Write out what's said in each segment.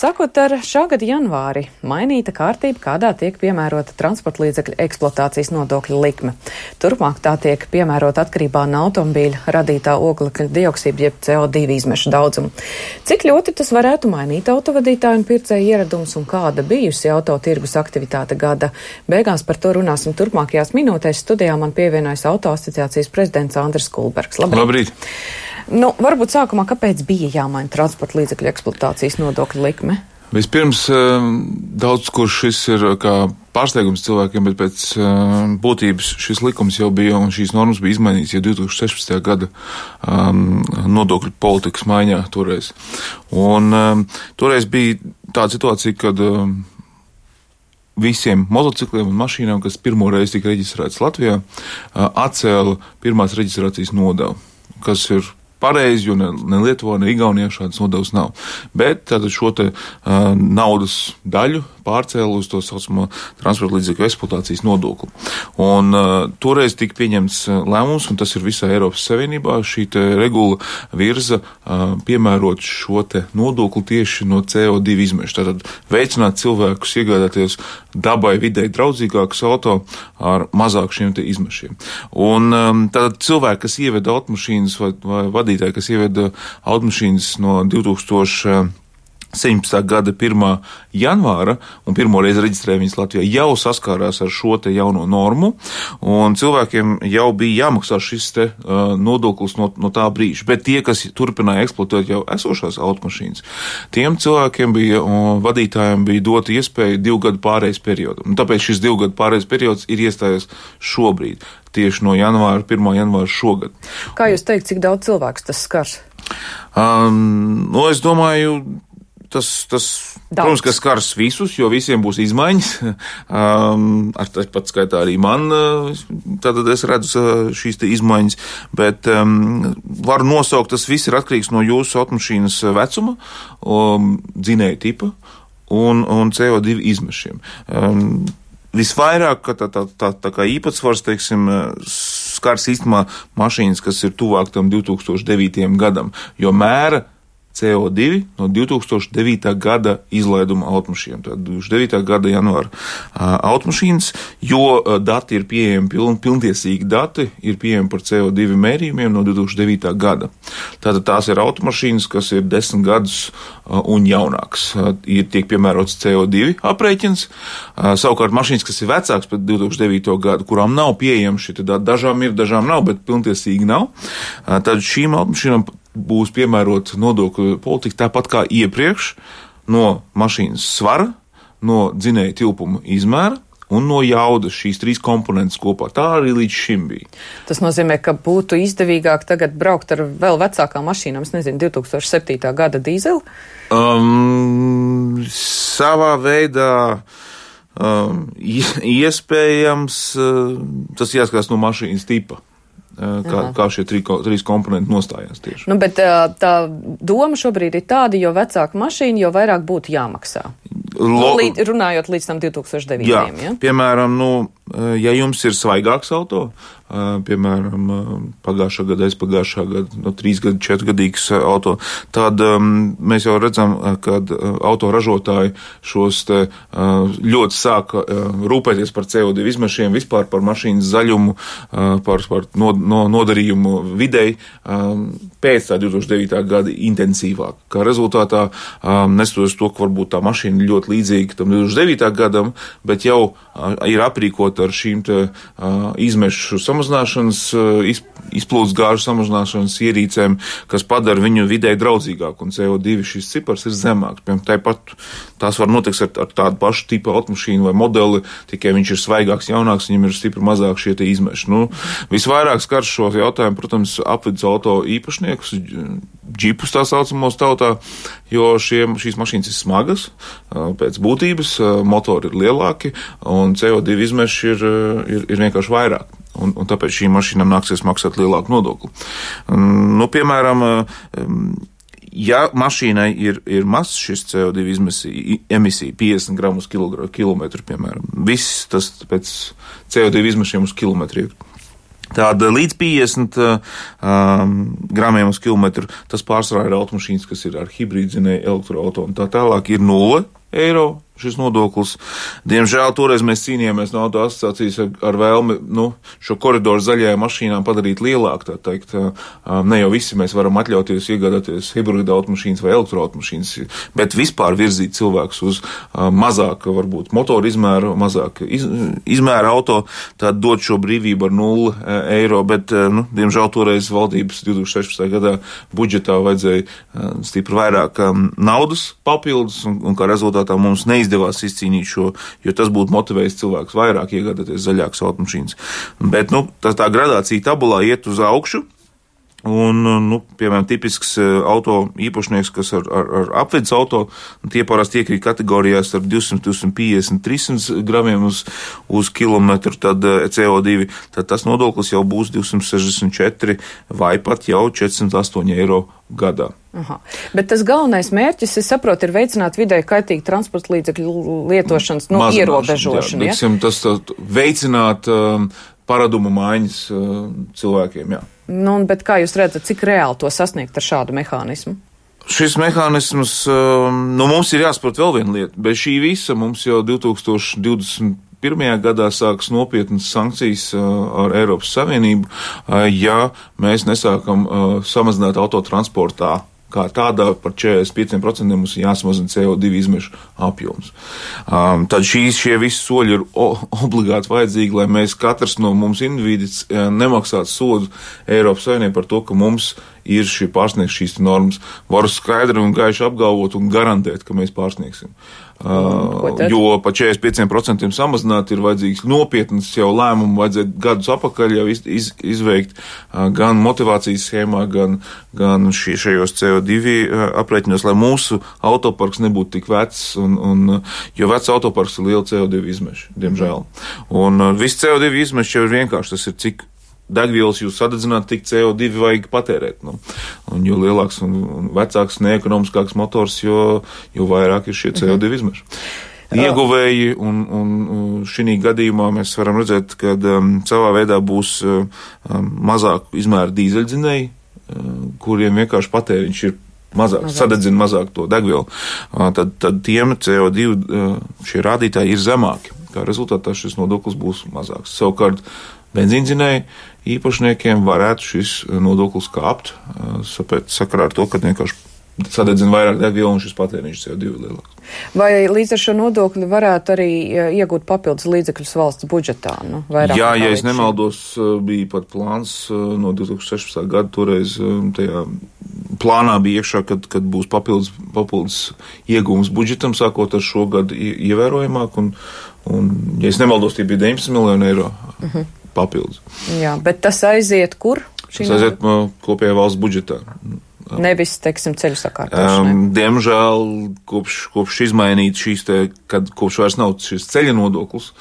Sākot ar šā gada janvāri, mainīta kārtība, kādā tiek piemērota transporta līdzekļu eksploatācijas nodokļa likme. Turpmāk tā tiek piemērota atkarībā no automobīļa radītā oglekļa dioksīda jeb CO2 izmešu daudzumu. Cik ļoti tas varētu mainīt autovadītāju un pircēju ieradumus un kāda bijusi autotirgus aktivitāte gada beigās, par to runāsim turpmākajās minūtēs. Studijā man pievienojas Auto asociācijas prezidents Andris Kulbergs. Labrīt! Varbūt sākumā, kāpēc bija jāmaina transporta līdzekļu eksploatācijas nodokļa likme? Vispirms, daudz kur šis ir kā pārsteigums cilvēkiem, bet pēc būtības šis likums jau bija un šīs normas bija izmainīts jau 2016. gada nodokļu politikas maiņā toreiz. Un toreiz bija tāda situācija, kad visiem motocikliem un mašīnām, kas pirmo reizi tika reģistrētas Latvijā, atcēla pirmās reģistrācijas nodevu, kas ir pareizi, jo ne Lietuvā, ne Igaunijā šādas nodevas nav. Bet tātad šo te naudas daļu pārcēla uz to saucamo transporta līdzekļu eksploatācijas nodokli. Un toreiz tika pieņemts lēmums, un tas ir visā Eiropas Savienībā, šī te regula virza piemērot šo te nodokli tieši no CO2 izmešu. Tātad veicināt cilvēkus iegādāties dabai videi draudzīgākus auto ar mazāk šiem te izmešiem. Un tātad cilvēki, kas ieveda automašīnas vai vadītāji, kas ieveda automašīnas no 2017. gada 1. janvāra un pirmoreiz reģistrēja viņas Latvijā, jau saskārās ar šo te jauno normu, un cilvēkiem jau bija jāmaksā šis te nodoklis no tā brīža. Bet tie, kas turpināja eksploatēt jau esošās automašīnas, tiem cilvēkiem bija, vadītājiem bija dota iespēja 2 gadu pārejas periodu. Un tāpēc šis 2 gadu pārejas periods ir iestājies šobrīd, tieši no 1. janvāra šogad. Kā jūs teikt, cik daudz cilvēks tas skars? Es domāju, tas protams, ka skars visus, jo visiem būs izmaiņas. Ar pat skaitā arī man, tātad es redzu šīs te izmaiņas, bet varu nosaukt, tas viss ir atkarīgs no jūsu automašīnas vecuma, dzinēja tipa un CO2 izmešiem. Visvairāk, ka tā kā īpatsvars, teiksim, skars īstenībā mašīnas, kas ir tuvāk tam 2009. gadam, jo mēra CO2 no 2009. gada izlaiduma automašīnām. Tātad 2009. gada janvāra automašīnas, jo dati ir pieejami, pilntiesīgi dati ir pieejami par CO2 mērījumiem no 2009. gada. Tātad tās ir automašīnas, kas ir 10 gadus un jaunāks. Tiek piemērots CO2 aprēķins. Savukārt mašīnas, kas ir vecāks pēc 2009. gada, kurām nav pieejami šie dati, dažām ir, dažām nav, bet pilntiesīgi nav. Tad šīm automašīnām būs piemērota nodokļu politika tāpat kā iepriekš no mašīnas svara, no dzinēja tilpuma izmēra un no jaudas, šīs 3 komponentes kopā. Tā arī līdz šim bija. Tas nozīmē, ka būtu izdevīgāk tagad braukt ar vēl vecākām mašīnām, es nezinu, 2007. gada dīzeli? Savā veidā iespējams, tas jāskatās no mašīnas tipa. Kā šie 3 komponenti nostājās tieši. Bet tā doma šobrīd ir tāda, jo vecāka mašīna, jo vairāk būtu jāmaksā. Runājot līdz tam 2009. Jā, piemēram, ja jums ir svaigāks auto, piemēram, pagājušā gada, aizpagājušā gada, 3 gadu, 4 gadīgs auto, tad mēs jau redzam, kad auto ražotāji šos te ļoti sāka rūpēties par CO2 izmešiem, vispār par mašīnas zaļumu, par nodarījumu videi, pēc tā 2009. gada intensīvāk. Kā rezultātā, neskatoties to, ka varbūt tā mašīna ļoti līdzīga tam 2009. gadam, bet jau ir aprīkota ar šīm te izmešu samazināšanas, izplūdes gāžu samazināšanas ierīcēm, kas padara viņu videi draudzīgāku, un CO2 šis cipars ir zemāks. Tāpat tās var notikt ar tādu pašu tipu automašīnu vai modeli, tikai viņš ir svaigāks, jaunāks, viņam ir stipri mazāk šie te izmeši. Visvairāk skar šo jautājumu, protams, apvidus auto īpašniekus, džipus tā saucamos tautā, jo šīs mašīnas ir smagas, pēc būtības motori ir lielāki, un CO2 izmeši ir vienkārši vairāk. Un tāpēc šīm mašīnām nāksies maksāt lielāku nodokli. Piemēram, ja mašīnai ir mazs šis CO2 emisija 50 gramus kilometru, piemēram, viss tas pēc CO2 izmešiem uz kilometru ir. Tāda līdz 50 gramiem uz kilometru, tas pārsvarā ir automašīnas, kas ir ar hibrīdzinēju elektroauto un tā tālāk ir 0 eiro. Šis nodoklis. Diemžēl toreiz mēs cīnījāmies no auto asociācijas ar vēlmi, šo koridoru zaļajām mašīnām padarīt lielāku, tā teikt. Ne jau visi mēs varam atļauties iegādāties hibrida automašīnas vai elektroautomašīnas, bet vispār virzīt cilvēkus uz mazāku, varbūt motoru izmēru, mazāku izmēru auto, tad dot šo brīvību ar 0 eiro, bet, diemžēl toreiz valdības 2016. Gadā budžetā vajadzēja stipri vairāk naudas papildus, un kā rezultātā mums neizdevās izcīnīt šo, jo tas būtu motivējis cilvēkus vairāk iegādāties zaļākas automašīnas. Bet, tā gradācija tabulā iet uz augšu, un, piemēram, tipisks auto īpašnieks, kas ar apvidus auto, tie parasti iekrīt kategorijās ar 200, 250, 300 gramiem uz kilometru, tad CO2, tad tas nodoklis jau būs 264 vai pat jau 408 eiro gadā. Aha. Bet tas galvenais mērķis, es saprotu, ir veicināt vidēji kaitīgu transporta līdzekļu lietošanas ierobežošanu. Jā, tas veicināt paradumu maiņas cilvēkiem, jā. Bet kā jūs redzat, cik reāli to sasniegt ar šādu mehānismu? Šis mehānisms, mums ir jāsaprot vēl viena lieta. Bez šī visa mums jau 2021. Gadā sāks nopietnas sankcijas ar Eiropas Savienību, ja mēs nesākam samazināt autotransportā. Kā tādā par 45% mums ir jāsamazina CO2 izmešu apjoms. Tad šie visi soļi ir obligāti vajadzīgi, lai mēs katrs no mums individus nemaksātu sodu Eiropas Savienībai par to, ka mums ir pārsniegt šīs normas. Varu skaidri un gaiši apgalvot un garantēt, ka mēs pārsniegsim. Jo pa 45% samazināt ir vajadzīgs nopietnas jau lēmumu, vajadzētu gadus apakaļ jau izveikt gan motivācijas schēmā, gan šajos CO2 aprēķinos, lai mūsu autoparks nebūtu tik vecs, jo vecs autoparks ir liela CO2 izmeša, diemžēl. Un viss CO2 izmeša jau ir vienkārši, tas ir cik degvielas jūs sadedzināt, tik CO2 vajag patērēt. Un jo lielāks un vecāks, neekonomiskāks motors, jo vairāk ir šie CO2 izmeši. Ieguvēji, un šī gadījumā mēs varam redzēt, ka savā veidā būs mazāk izmēra dīzeļdzinēji, kuriem vienkārši patēriņš ir mazāk, sadedzina mazāk to degvielu. Tad tiem CO2 šie rādītāji ir zemāki. Kā rezultātā šis nodoklis būs mazāks. Savukārt benzīndzinēju īpašniekiem varētu šis nodoklis kāpt, sakarā ar to, ka vienkārši sadedzina vairāk degvielu un šis patēriņš CO2 lielāks. Vai līdz ar šo nodokli varētu arī iegūt papildus līdzekļus valsts budžetā? Jā, ja es nemaldos, bija pat plāns no 2016. Gada, toreiz tajā plānā bija iekšā, kad būs papildus iegūms budžetam, sākot ar šo gadu ievērojamāk, un ja es nemaldos, tie bija 19 miljoni eiro. Papildus. Jā, bet tas aiziet kur? Tas aiziet kopējā valsts budžetā. Nevis, teiksim, ceļu sakārtošanai. Diemžēl, kopš izmainīt kopš vairs nav šis ceļa nodoklis,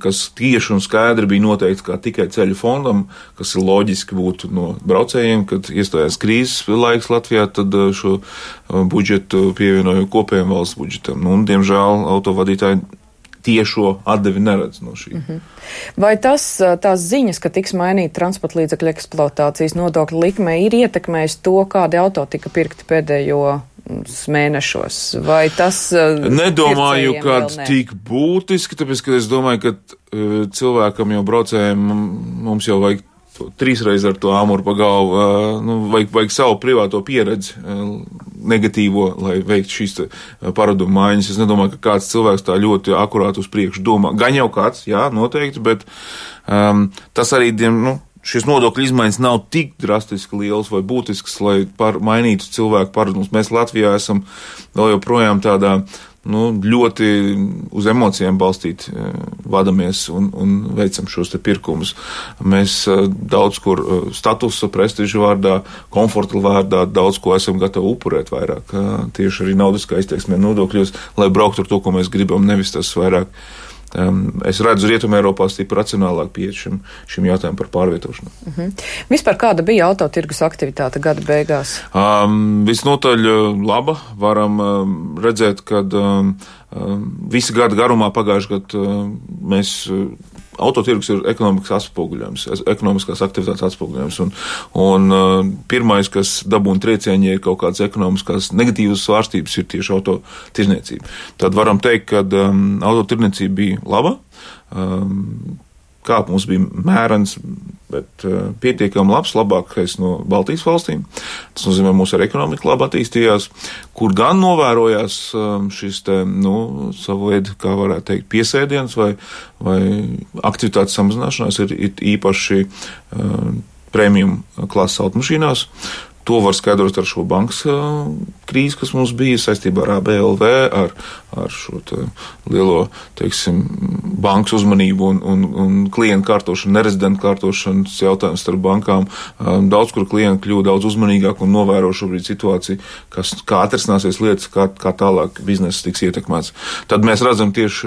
kas tieši un skaidri bija noteikts kā tikai ceļu fondam, kas ir loģiski būtu no braucējiem, kad iestājās krīzes laiks Latvijā, tad šo budžetu pievienoju kopējiem valsts budžetam. Un, diemžēl, autovadītāji tiešo atdevi neredz no šī. Vai tās ziņas, ka tiks mainīta transporta līdzekļu eksploatācijas nodokļa likme, ir ietekmējis to, kādi auto tika pirkti pēdējo mēnešos? Vai tas nedomāju, ka tik būtiski, tāpēc, ka es domāju, ka cilvēkam jau braucējiem mums jau vajag 3 reizes ar to āmuru pa galvu, vajag savu privāto pieredzi negatīvo, lai veiktu šīs paradumu maiņas. Es nedomāju, ka kāds cilvēks tā ļoti akurāti uz priekšu domā. Gan jau kāds, jā, noteikti, bet tas arī, šis nodokļu izmaiņas nav tik drastiski liels vai būtisks, lai mainītu cilvēku paradumus. Mēs Latvijā esam vēl joprojām tādā ļoti uz emocijām balstīt vadamies un veicam šos te pirkumus. Mēs daudz kur statusa, prestiža vārdā, komforta vārdā daudz ko esam gatavi upurēt vairāk. Tieši arī naudiskā izteiksmē nodokļos, lai brauktu ar to, ko mēs gribam, nevis tas vairāk. Es redzu Rietumē Eiropā stipri racionālāk pieeja šim jautājumam par pārvietošanu. Vispār kāda bija autotirgus aktivitāte gada beigās? Visnotaļ laba. Varam redzēt, ka visa gada garumā pagājušajā gadā mēs autotirgus ir ekonomikas atspoguļojums, ekonomiskās aktivitātes atspoguļojums. Un pirmais, kas dabūna triecieni, ja ir kaut kādas ekonomiskās negatīvas svārstības, ir tieši autotirniecība. Tad varam teikt, ka autotirniecība bija laba. Kāpums bija mērens, bet pietiekami labs, labākais no Baltijas valstīm. Tas nozīmē, mūsu ekonomika labi attīstījās, kur gan novērojās šis te, savu veidu, kā varētu teikt, piesēdiens vai aktivitātes samazināšanās ir īpaši premium klases automašīnās. To var skaidrot ar šo bankas krīzi, kas mums bija saistībā ar ABLV, ar šo lielo, teiksim, bankas uzmanību un klientu kārtošanu, nerezidentu kārtošanas jautājumus starp bankām. Daudz, kur klienti kļuva daudz uzmanīgāk un novēro šobrīd situāciju, kā atrisināsies lietas, kā tālāk bizness tiks ietekmēts. Tad mēs redzam tieši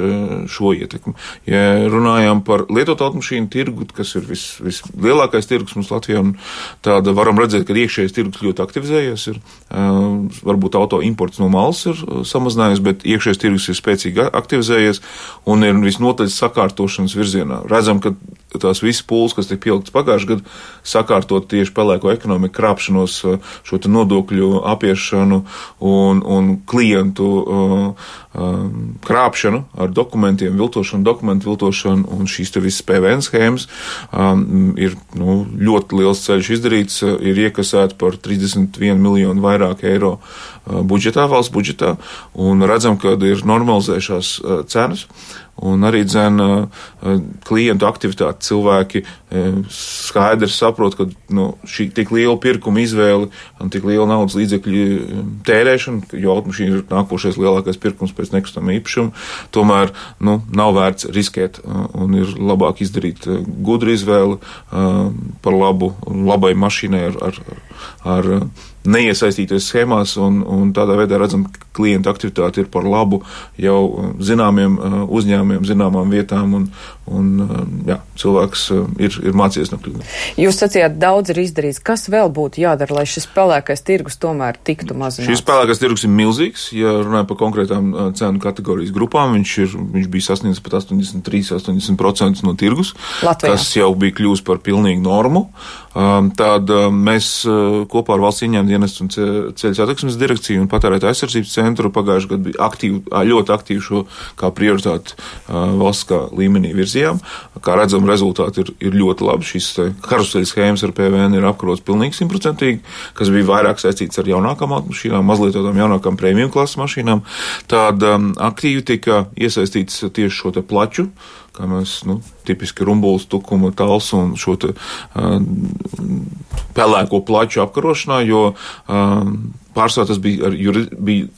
šo ietekmi. Ja runājām par lietotu automašīnu tirgu, kas ir vislielākais tirgus mums Latvijā, un tāda varam redzēt, ka iekšējais tirgus ļoti aktivizējies. Varbūt auto imports no malas ir samazinājies, bet iekšējais tirgus ir spēcīgi aktivizējies un ir visnotaļ sakārtošanas virzienā. Redzam, ka tās visas pūles, kas tika pieliktas pagājušajā gadā, sakārtot tieši pelēko ekonomiku, krāpšanos, šo te nodokļu apiešanu un klientu krāpšanu ar dokumentiem, dokumentu viltošanu un šīs te visas PVN schēmas ir ļoti liels ceļš izdarīts, ir iekasēti par 31 miljonu vairāk eiro budžetā, valsts budžetā, un redzam, ka ir normalizējušās cenas. Un arī klientu aktivitāti cilvēki skaidri saprot, ka šī tik liela pirkuma izvēle un tik liela naudas līdzekļu tērēšana, jo automašīna ir nākošais lielākais pirkums pēc nekustamā īpašuma, tomēr nav vērts riskēt un ir labāk izdarīt gudru izvēli par labai mašīnai ar neiesaistīties schēmās un tādā veidā redzam, ka klienta aktivitāte ir par labu jau zināmiem uzņēmumiem, zināmām vietām un cilvēks ir mācījies no kļūdām. Jūs sacījāt, daudz ir izdarīts. Kas vēl būtu jādara, lai šis pelēkais tirgus tomēr tiktu mazināts? Šis pelēkais tirgus ir milzīgs. Ja runājam par konkrētām cenu kategorijas grupām, viņš bija sasniedzis pat 83-80% no tirgus, Latvijā, kas jau bija kļūst par pilnīgu normu. Tad mēs kopā ar valsts ieņēmumu dienestu un ceļu satiksmes direkciju un patērētāju aizsardzības centru pagājušajā gadā bija ļoti aktīvi šo kā prioritāti valsts līmenī virzījām. Kā redzam, rezultāti ir ļoti labi. Šīs karuseļu schēmas ar PVN ir apkarots pilnīgi 100%, kas bija vairāk saistīts ar jaunākām automašīnām, mazlietotām jaunākām premium klases mašīnām. Tad aktīvi tika iesaistīts tieši šo te plaču, kā mēs, tipiski rumbulis, tukuma, tals un šo te pelēko plaču apkarošanā, jo pārsvarā tas bija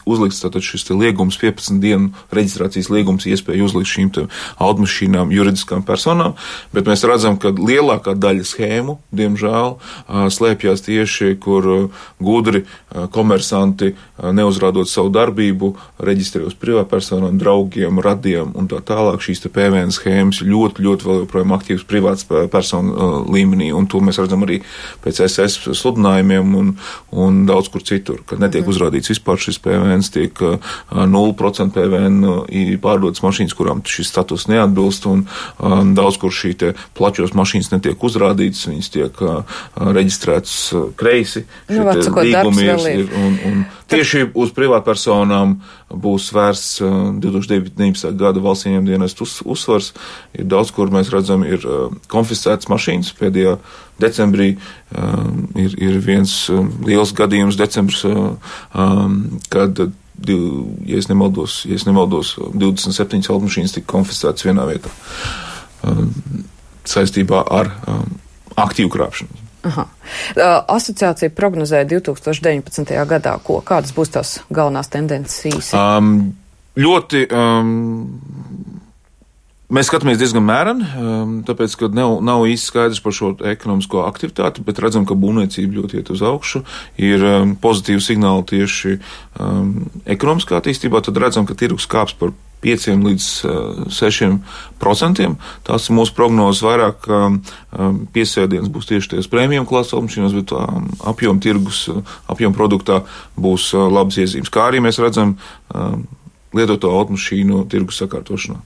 uzlikts tātad šis te liegums 15 dienu reģistrācijas liegums iespēju uzlikt šīm te automašīnām juridiskām personām, bet mēs redzam, ka lielākā daļa schēmu, diemžēl, slēpjās tieši, kur gudri komersanti, neuzrādot savu darbību, reģistrē uz privātpersonām, draugiem, radiem un tā tālāk. Šīs te PVN schēmas ļoti, ļoti vēl joprojām aktīvas privātas personu līmenī, un to mēs redzam arī pēc SS sludinājumiem un daudz kur citur, kad netiek uzrādīts vispār šis PVN, tiek 0% PVN pārdotas mašīnas, kurām šis status neatbilst, un daudz kur šī te plačos mašīnas netiek uzrādītas, viņas tiek reģistrētas kreisi. Un tieši uz privātpersonām būs vērsts 2019. Gada valsts ieņēmumu dienestu uzsvars. Ir daudz, kur mēs redzam, ir konfiscētas mašīnas. Pēdējā decembrī ir viens liels gadījums decembris, kad, ja es nemaldos, 27 automašīnas tika konfiscētas vienā vietā saistībā ar aktīvu krāpšanu. Aha. Asociācija prognozēja 2019. gadā, kādas būs tās galvenās tendences īsi? Mēs skatāmies diezgan mēreni, tāpēc, ka nav īsti skaidrs par šo ekonomisko aktivitāti, bet redzam, ka būvniecība ļoti iet uz augšu, ir pozitīvi signāli tieši ekonomiskā attīstībā, tad redzam, ka tirgus kāps par 5 līdz 6%. Tās ir mūsu prognozes, vairāk piesēdiens būs tieši ties premium klases automašīnas, bet apjoma tirgus, apjoma produktā būs labas iezīmes. Kā arī mēs redzam lietoto automašīnu tirgus sakārtošanā.